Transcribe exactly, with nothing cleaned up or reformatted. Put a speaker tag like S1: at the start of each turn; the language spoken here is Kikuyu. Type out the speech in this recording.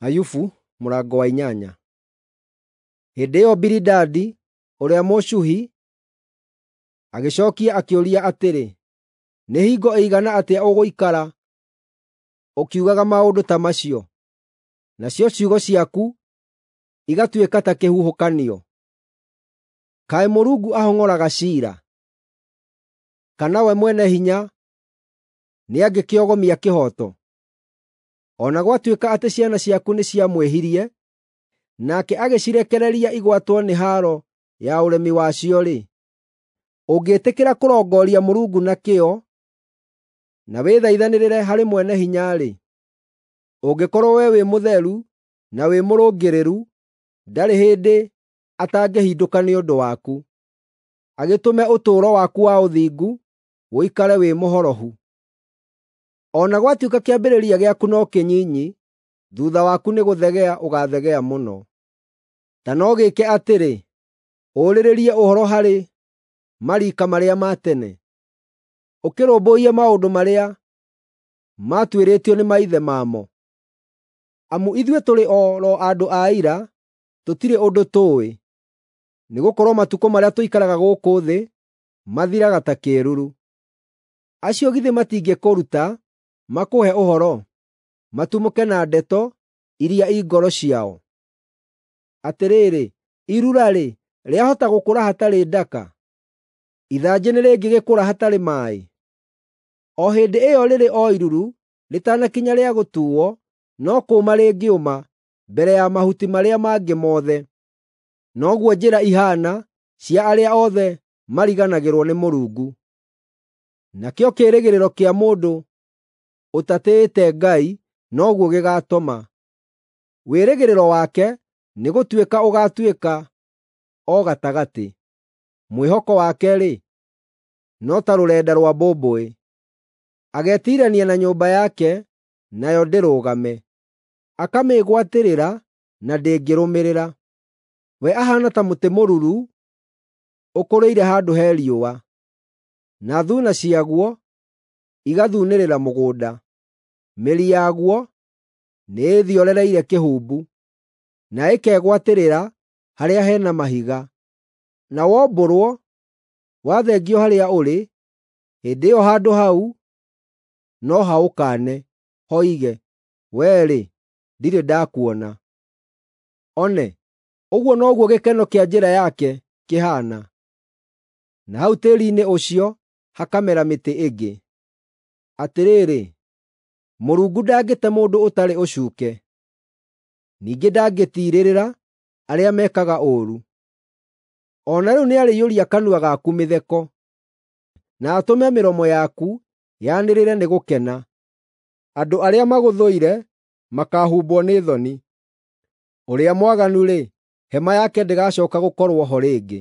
S1: Ayubu mũrango wa inyanya. Hĩndĩ ĩyo Bilidadi ũrĩa Mũshuhi agĩcookia akĩũria atĩrĩ, “Nĩ hingo ĩigana atĩa ũgũikara ũkiugaga maũndũ ta macio, nacio ciugo ciaku igatuĩka ta kĩhuhũkanio? Kaĩ Mũrungu ahong'oraga ciira? Kana we Mwene-Hinya nĩangĩkĩogomia kĩhooto? O na gwatuĩka atĩ ciana ciaku nĩciamwĩhirie, nake agĩcirekereria igwatwo nĩ haaro ya ũremi wacio-rĩ, ũngĩĩtĩkĩra kũrongooria Mũrungu na kĩyo, na wĩthaithanĩrĩre harĩ Mwene-Hinya-rĩ, ũngĩkorwo wee wĩ mũtheru na wĩ mũrũngĩrĩru, ndarĩ hĩndĩ atangĩhindũka nĩ ũndũ waku, agĩtũme ũtũũro waku wa ũthingu ũikare wĩ mũhorohu. O na gwatuĩka kĩambĩrĩria gĩaku no kĩnyinyi, thuutha waku nĩgũthegea ũgaathegea mũno. Ta no gĩĩke atĩrĩ, ũũrĩrĩrie ũhoro harĩ mariika marĩa ma tene, ũkĩrũmbũiye maũndũ marĩa maatuĩrĩtio nĩ maithe mamo. Amu ithuĩ tũrĩ o ro andũ a ira, tũtirĩ ũndũ tũũĩ, nĩgũkorwo matukũ marĩa tũikaraga gũkũ thĩ mathiraga ta kĩĩruru. Acio githĩ matingĩkũruta makũhe ũhoro, matumũke na ndeto iria i ngoro ciao? Atĩrĩrĩ, irura-rĩ, rĩahota gũkũra hatarĩ ndaka? Ithanjĩ nĩrĩngĩgĩkũra hatarĩ maaĩ? O hĩndĩ ĩyo rĩrĩ o iruru rĩtanakinya rĩa gũtuuo, no kũũma rĩngĩũma mbere ya mahuti marĩa mangĩ mothe. Noguo njĩra ihaana cia arĩa othe mariganagĩrwo nĩ Mũrungu. Nakĩo kĩĩrĩgĩrĩro kĩa mũndũ ũtatĩĩte Ngai noguo gĩgaatoma; wĩrĩgĩrĩro wake nĩgũtuĩka ũgaatuĩka o gatagatĩ. Mwĩhoko wake-rĩ, no ta rũrenda rwa mbũmbũĩ; agetiirania na nyũmba yake, nayo ndĩrũgame, akamĩĩgwatĩrĩra na ndĩngĩrũmĩrĩra. We ahaana ta mũtĩ mũruru ũkũrĩire handũ he riũa, na thuuna ciaguo igathunĩrĩra mũgũnda. Mĩri yaguo nĩĩthiorereire kĩhumbu, na ĩkegwatĩrĩra harĩa he na mahiga. Na wombũrwo, wathengio harĩa ũrĩ, hĩndĩ ĩyo handũ hau no haũkaane, hoige, “Wee-rĩ, ndirĩ ndakuona.” One, ũguo noguo gĩkeno kĩa njĩra yake kĩhaana, na hau tĩĩri-inĩ ũcio hakamera mĩtĩ ĩngĩ. Atĩrĩrĩ, Mũrungu ndangĩte mũndũ ũtarĩ ũcuuke, ningĩ ndangĩtiirĩrĩra arĩa mekaga ũũru. O na rĩu nĩarĩiyũria kanua gaku mĩtheko, na atũme mĩromo yaku yanĩrĩre nĩ gũkena. Andũ arĩa magũthũire makaahumbwo nĩ thoni; ũrĩa mwaganu-rĩ, hema yake ndĩgacooka gũkorwo ho rĩngĩ.